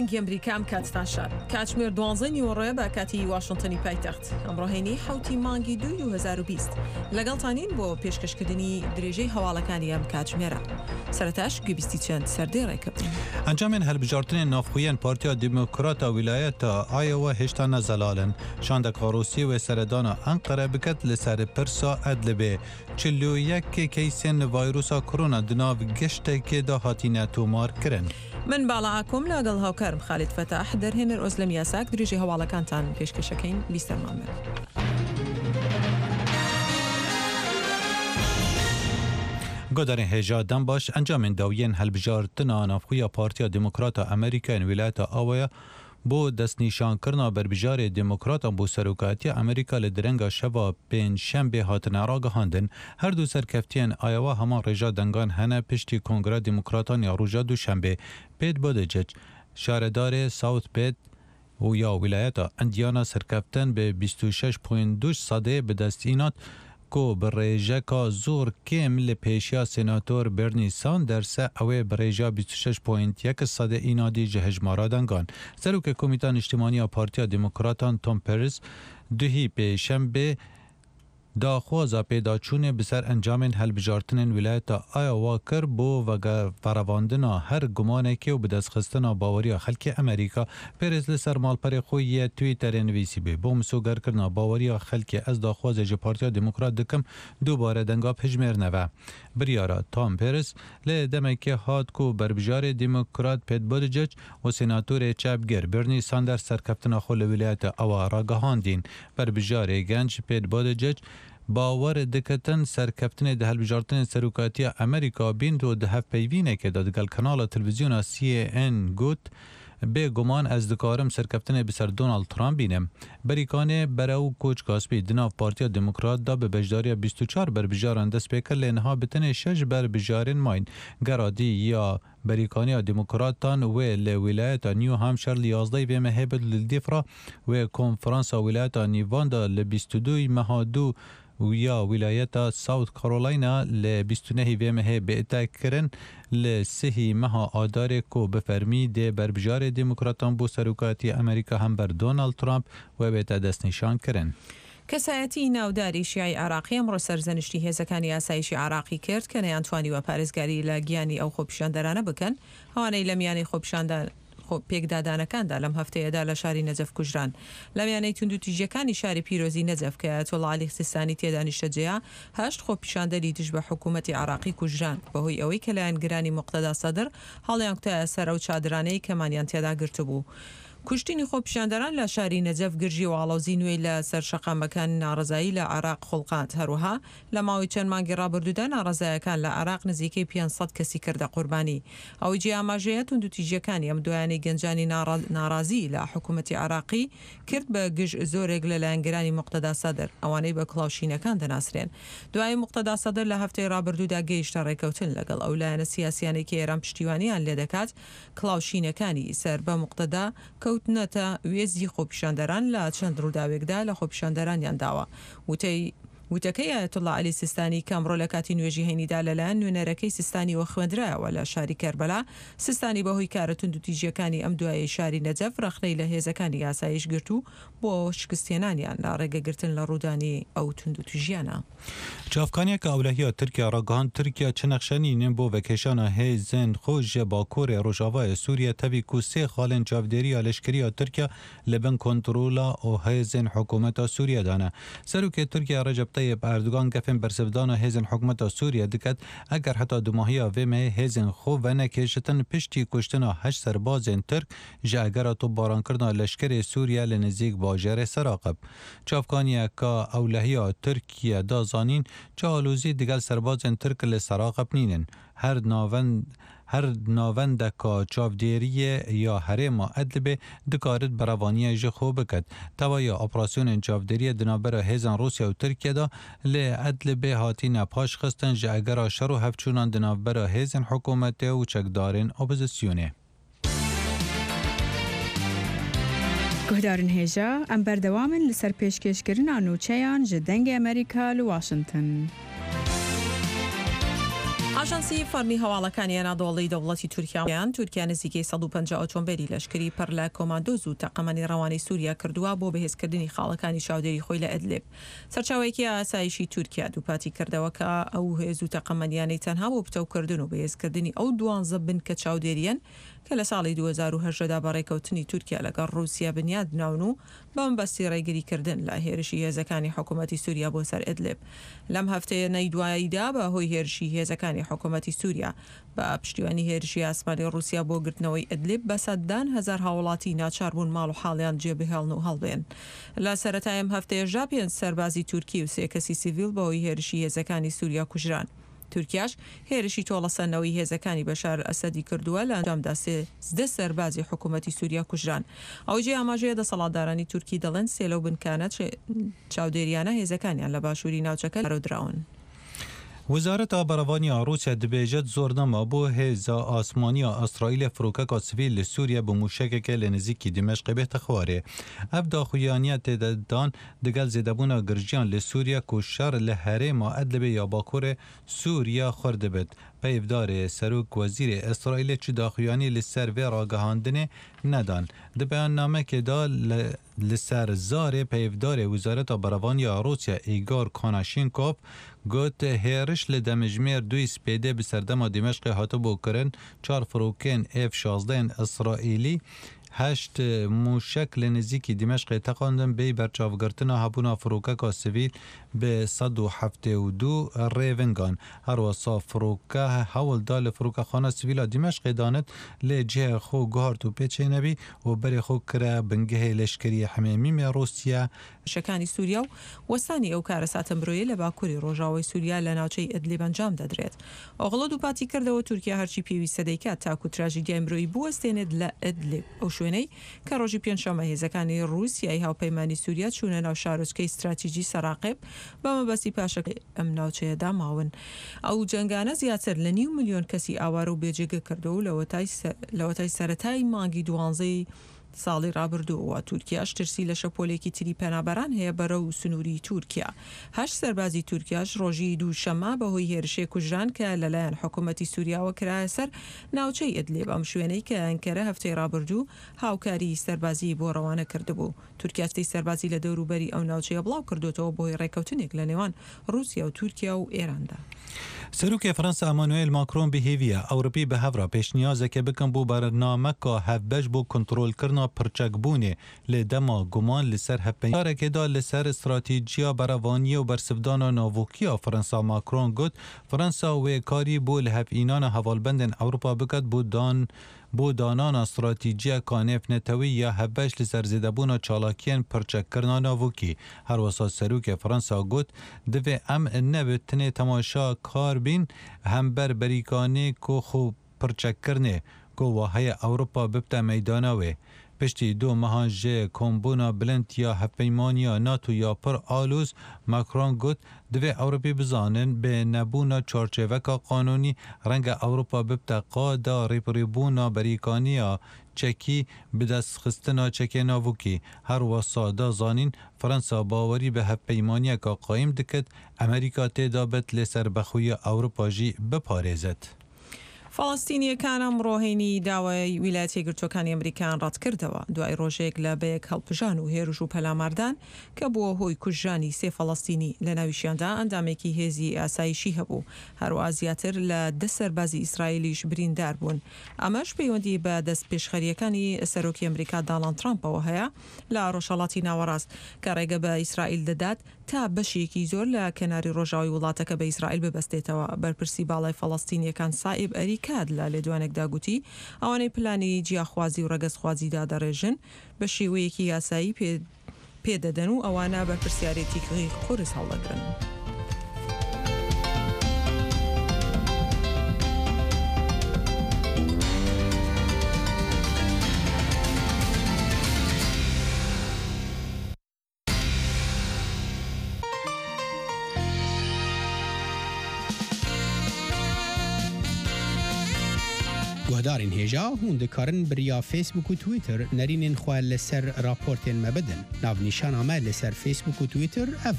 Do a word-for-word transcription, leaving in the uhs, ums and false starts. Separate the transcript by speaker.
Speaker 1: دەنگی ئەمریکا ئەم کاتتان شاد. کاتژمێر دوانزەی نیوەڕۆیە بە کاتی واشنتنی پایتەخت. ئەمڕۆ هەینی حەوتی مانگی دووی دوو هەزار و بیست. لەگەڵتانین بۆ پێشکەشکردنی درێژەی هەواڵەکانی ئەم کاتژمێرە. سەرەتاش گوێبیستی چەند سەردێڕێک بین.
Speaker 2: ئەنجامێن هەلبژارتنێن ناوخۆیێن پارتیا دیموکراتا ویلایەتا ئایۆوا هێشتا نەزەلالن. شاندەکا ڕوسی وێ سەردانا ئەنقەرە بکەت لەسەر پرسا ئەدلبێ. چل و یەک کەیسێن ڤایرۆسا کۆرۆنا دناو گەشتێکێدا هاتینە تۆمار کرن.
Speaker 1: من باڵا ئاکۆم لەگەڵ هاوکارم خالید فەتاح، دەرهێنەر ئۆزلەم یاساک، درێژەی هەواڵەکانتان پێشکەشەکەین. بیستەرمان بن.
Speaker 2: گۆدارên هێژا دەم باش ئەنجامên داویên هەلبژارتنا ناوخۆیا پارتیا دیموکراتا ئەمریکایên ویلایەتا ئاوایە بۆ دەستنیشانکردنا بەربژارê دیموکراتان بۆ سەرۆکایەتیە ئەمریکا لە درەنگا شەva پێنجشەنبێ هاتنە ڕاگەهاندن. هەردوو سەرکەفتیان ئایەوە هەمان ڕێژا دەنگان هەنە پشتی کۆنگرا دیموکراتان یا ڕۆژا دووشەنبێ. پێت بۆدجج شارەدارێ ساوت پێت و یا ویلایەتا ئەندیانا سەرکەفتن بە بیست و شەش پوینت دوو سەدێ بەدەست ئینات کو بە ڕێژەکا زۆر کێم لە پێشیا سێناتۆر بێرنی ساندەرسە ئەوێ بە ڕێژا بیست و شەش پوینت یەک سەدێ ئینادی ji hejmara دەنگان. سەرۆکê کۆمیتا نیشتیمانیا پارتیا دیموکراتان تۆم پێرس duhî pêşembê daxwaza pêdaçûnê bi ser encamên hilbijartinên wîlayeta Iowa kir bo vegerevandina her gumanekê û bi destxistina baweriya xelkê Amerîka. Pêrez li ser malperê xwe yê Twitterê nivîsîbû bo misogerkirina baweriya xelkê ez daxwazê ji Partiya Demokrat dikim dubare denga pejmêr neve. Biryara Tom Perez li demekê hat ku berbijarê Demokrat Pete Buttigieg û senatorê çepgir Bernie Sanders serkeftina xwe li wîlayeta Iowa ragihandîn. Berbijarê genc Pete Buttigieg باوەڕ diketin serkeftinê di hilbijartinên serokatiya Amerîka bînd û di hevpeyvînekê de digel kanala televîzyona C N got bêguman ez dikarim serkeftinê bi ser Donald Trump bînim. Berîkanê berew Koçkaspî di nav Partiya Demokrat da bi beşdariya bîst û çar berbijaran dest pê kir lê niha bi tenê şeş berbijarên mayîn. Geradî ya Berîkaniya Demokratan wê li wîlayeta New Hampshire li yazdeh vê mehê bi li Dîfra wê konferansa wîlayeta Nîvanda li bîst û du meha du ya wîlayeta South Carolina li bîst û nehî vê mehê bête kirin li sihî meha Adarê ku bi fermî dê berbijarê Demokratan bo serokatiya Amerîka hember Donald Trump wê bête destnîşan kirin.
Speaker 1: کەسایەتی ناوداری شیعی عراقی ئەمڕۆ سەرزەنشتی هێزەکانی ئاسایشی عراقی کرد کە نەیانتوانیوە پارێزگاری لە گیانی ئەو خۆپیشاندەرانە بکەن ئەوانەی لە میانەی خۆپیشاندان پێکدادانەکاندا لەم هەفتەیەدا لە شاری نەجەف کوژران. لە میانەی توندوتیژیەکانی شاری پیرۆزی نەجەف کە ئایەتوڵڵا عەلی سیستانی تێدا نیشتەجێیە، هەشت خۆپیشاندەری دژ بە حکوومەتی عراقی کوژران بەهۆی ئەوەی کە لایەنگرانی موقتەدا سەدر هەڵیانکوتایە سەر ئەو چادرانەی کەمانیان تێدا گرتبوو. کوشتنی خۆپیشاندەران لە شاری نەجەف گرژی و ئاڵۆزی نوێی لە سەر شەقامەکان ناڕەزایی لە عراق خوڵقاند. هەروەها لە ماوەی چەند مانگی ڕابردوودا ناڕەزایەکان لە عراق نزیکەی پێنج سەد کەسی کردە قوربانی. ئەوەی جێ ئاماژەیە توندوتیژیەکانی ئەم دوایانەی گەنجانی ناڕازی لە حکوومەتی عراقی کرد بە گژ زۆرێک لە لایەنگرانی موقتەدا سەدر، ئەوانەی بە کڵاوشینەکان دەناسرێن. دوای موقتەدا سەدر لە هەفتەی ڕابردوودا گەیشتە ڕێکەوتن لەگەڵ ئەو لایەنە سیاسیانەی کە ئێران پشتیوانیان لێدەکات، کڵاوشینەکانی سەر بە موقتەدا کەوتنەتە وێزی خۆپیشاندەران لە چەند ڕووداوێکدا لە خۆپیشاندەرانیان داوە. وتەی وتەکەی ئایەتوڵڵا عەلی سیستانی کە ئەمڕۆ لە کاتی نوێژی هەینیدا لەلایەن نوێنەرەکەی سیستانیەوە خوێندرایەوە لە شاری کەربەلا، سیستانی بەهۆی کارە توندوتیژیەکانی ئەم دوایەی شاری نەجەف ڕەخنەی لە هێزەکانی ئاسایش گرت و بۆ شکستهێنانیان لە ڕێگەگرتن لە ڕوودانی ئەو توندوتیژیانە.
Speaker 2: چاوکانیەکە ئەولەهیا تورکیا ڕاگەهاند تورکیا چ نەخشە نینن بۆ ڤەکێشانە هێزên xwe ji Bakurê Rojavayê Sûriye tevî ku sê xalên çavdêriya leşkeriya Tirkiye li bin kontrola û hêzên hikûmeta Sûriye de ne. Serokê Tirkiye Recep Tayyip Erdogan gefên bersivdana hêzên hikûmeta Sûriye diket eger heta dumahiya vê mehê hêzên xwe venekêşitin piştî kuştina heşt serbazên Tirk ji egera topbarankirina leşkerê Sûriye li nêzîk bajarê Seraqib. Çavkaniyeka ewlehiya Tirkiye da zanîn çi alozî digel serbazên Tirk li Seraqib nînin. Her navend her navendeka çavdêriyê ya herêma Edlibê dikarit berevaniyê ji xwe biket. Tevaya operasyonên çavdêriyê di navbera hêzên Rûsya û Tirkiye de li Edlibê hatine paşxistin ji egera şer û hevçûnan di navbera hêzên hikûmetê û çekdarên opozisyonê.
Speaker 3: Guhdarên hêja, em berdewam in li ser pêşkêşkirina nûçeyan ji Dengê Amerîka li Washington.
Speaker 1: ئاژانسی فەرمی هەواڵەکانی ئەنادۆڵی دەوڵەتی تورکیا تورکیا نزیکەی سەد و پەنجا ئۆتۆمبیلی لەشکری پڕ لە کۆماندۆز و تەقەمەنی ڕەوانەی سووریا کردووە بۆ بەهێزکردنی خاڵەکانی چاودێری خۆی لە ئەدلب. سەرچاوەیەکی ئاسایشی تورکیا دووپاتی کردەوە کە ئەو هێز و تەقەمەنیانەی تەنها بۆ پتەوکردن و بەهێزکردنی ئەو دوانزە بنکە چاودێریەن کە لە ساڵی دوو هەزار و هەژدە دا بەڕێکەوتنی تورکیا لەگەڵ ڕووسیا بنیاد ناون و بەمەبەستی ڕێگریکردن لە هێرشی هێزەکانی حکوومەتی سووریا بۆ سەر ئەدلب. لەم هەفتەیە دواییدا بە هۆی هێرشی هێزەکانی حکوومەتی سووریا بە پشتیوانی هێرشی ئاسمانی ڕووسیا بۆ گرتنەوەی ئەدلب بە سەدان هەزار هاوڵاتی ناچار بوون ماڵ و حاڵیان جێبهێڵن و هەڵبێن. لە سەرەتای ئەم هەفتەیەشدا پێنج سەربازی تورکی و سێ کەسی سیڤیل بەهۆی هێرشی هێزەکانی سووریا کوژران. تورکیاش هێرشی تۆڵەسەندنەوەی هێزەکانی بەشار ئەسەدی کردووە، لە ئەنجامدا سێزدە سەربازی حکوومەتی سووریا کوژران. ئەو جێ ئاماژەیە دەسەڵاتدارانی تورکی دەڵێن سێ لەو بنکانە چاودێریانە هێزەکانیان لە باشووری ناوچەکە دراون.
Speaker 2: وزارەت بەرەڤانیا ڕووسیا دەبێژێت زۆر نەما بۆ هێزە ئاسمانیا ئیسرائیل فڕۆکەکە سڤیل لە سووریا بە موشەکێکە لە نزیکی دیمەشق بێتە خوارێ. ئەف داخویانیە تێدەدان دەگەڵ زێدەبوونا گرژیان لە سووریا کو شەڕ لە هەرێما ئەدلبێ یا باکوورێ سووریا خوردبێت. پەیڤدارێ سەرۆک وەزیرێ ئیسرائیل چ داخویانی لەسەر vê ڕاگەهاندنێ نەدان. Di beyannamekê li ser zarê peyvdarê Wezareta Beravaniya Rûsya Igor Konashenkov got hêriş li demjimêr duy spêdê bi serdema Dimeşqê hatibû kirin çar firokên F şazdehên Îsraîlî heşt mûşek li nêzîkî Dimeşqê teqandin bê berçavgirtina hebûna firokeka sivîl bi sed û heftê û du rêvingan. Her wisa firoke hewl da li firokexana sivîla Dimeşqê danit lê cihê xwe guhart û pê çênebî û berê xwe kire bingehê leşkeriyê Hemêmîmê Rûsya.
Speaker 1: شەکانی سووریا و وەستانی ئەو کارەساتە مرۆیە لە باکووری ڕۆژاوای سووریا لە ناوچەی ئەدلیب ئەنجام دەدرێت. ئۆغڵۆ دووپاتی کردەوە تورکیا هەرچی پێویستە دەیکات تاکو تراژیدیای مرۆیی بوەستێنێت لە ئەدلیب، ئەو شوێنەی کە ڕۆژی پێنجشەممە هێزەکانی ڕووسیای هاوپەیمانی سووریا چوونە ناو شارۆچکەی استراتیژی سەراقب بە مەبەستی پاشەکەی ئەم ناوچەیەدا ماون. ئەو جەنگانە زیاتر لە نیو ملیۆن کەسی ئاوارە و بێجێگە کردەوە و لەوەتای سەرەتای مانگی دوانزەی ساڵی ڕابردووەوە تورکیاش ترسی لە شەپۆلێکی تری پەنابەران هەیە بەرەو سنووری تورکیا. هەشت سەربازی تورکیاش ڕۆژی دووشەممە بەهۆی هێرشێک کوژران کە لەلایەن حکوومەتی سووریاوە کرایە سەر ناوچەی ئەدلیب، ئەم شوێنەی کە ئەنکەرە هەفتەی ڕابردوو هاوکاری سەربازی بۆ ڕەوانە کردبوو. تورکیا سەربازی لە دەوروبەری ئەو ناوچەیە بڵاو کردوێتەوە بۆی ڕێککەوتنێک لە نێوان ڕووسیا و تورکیا و ئێراندا.
Speaker 2: سەرۆکی فەرەنسا ئەمانوێل ماکرۆن بهێویە ئەوروپی بە هەڤرا پێشنیازێکە بکەن بۆ بەرنامەکە هەڤبەش بۆ کنترۆلکردنا پرچەکبوونێ لە دەما گومان لەسەر هەڤپەیمانێکدا لەسەر استراتیژیا بەرەوانیە و بەرسڤدانا ناوۆکیە فەرەنسا ماکرۆن گوت فەرەنسا وێکاری بۆ لە هەڤئینانە هەواڵبەندên ئەوروپا بکات بۆ دان بۆ دانانا استراتیژیا کانێف نەتەوی یا هەڤبەش لەسەر زێدەبوونا چالاکیên پرچەککردنا ناوۆکی. هەروەسا سەرۆکê فەرەنسا گوت divê em nebitine temaşa kar bîn hember berîkanê ku xwe pirçekkirinê ku waheye Ewropa bibte meydana wê. Piştî du mehan ji kombûna bilind ya hevpeymaniya NATO ya pir aloz Macron got divê Ewropî bizanin bi nebûna çarçêveka qanûnî renge Ewropa bibte qada rêbirîbûna berîkaniya çekî bi destxistina çekê navokî. Her wisa da zanîn Fransa bawerî bi hevpeymaniyeka qayim diket Amerîka tê da bit lê serbexweya Ewropa jî biparêzet.
Speaker 1: فەڵەستینیەکان ئەمڕۆ هەینی داوای ویلایەتە یەکگرتووەکانی ئەمریکایان ڕەتکردەوە دوای ڕۆژێک لە بەیەک هەڵپژان و هێرش و پەلاماردان کە بووە هۆی کوژرانی سێ فەڵەستینی لە ناویشیاندا ئەندامێکی هێزی ئاسایشی هەبوو. هەروەها زیاتر لە دە سەربازی ئیسرائیلیش بریندار بوون. ئەمەش پەیوەندی بە دەستپێشخەریەکانی سەرۆکی ئەمریکا داناڵد ترامپەوە هەیە لە ڕۆژهەڵاتی ناوەڕاست کە ڕێگە بە ئیسرائیل دەدات تا بەشێکی زۆر لە کەناری ڕۆژاوی وڵاتەکە بە ئیسرائیل ببەستێتەوە. بەرپرسی باڵای فەڵەستینیەکان سائیب ئەریکات لە لێدوانێکدا گوتی ئەوانەی پلانی جیاخوازی و ڕەگەزخوازیدا دەڕێژن بە شێوەیەکی یاسایی پێدەدەن و ئەوانە بەرپرسیارێتی قورس هەڵدەگرن.
Speaker 4: Guhdarên hêja hûn dikarin bi riya Facebook û Twitter nerînên xwe li ser raportên me bidin. Navnîşana me li ser Facebook û Twitter ev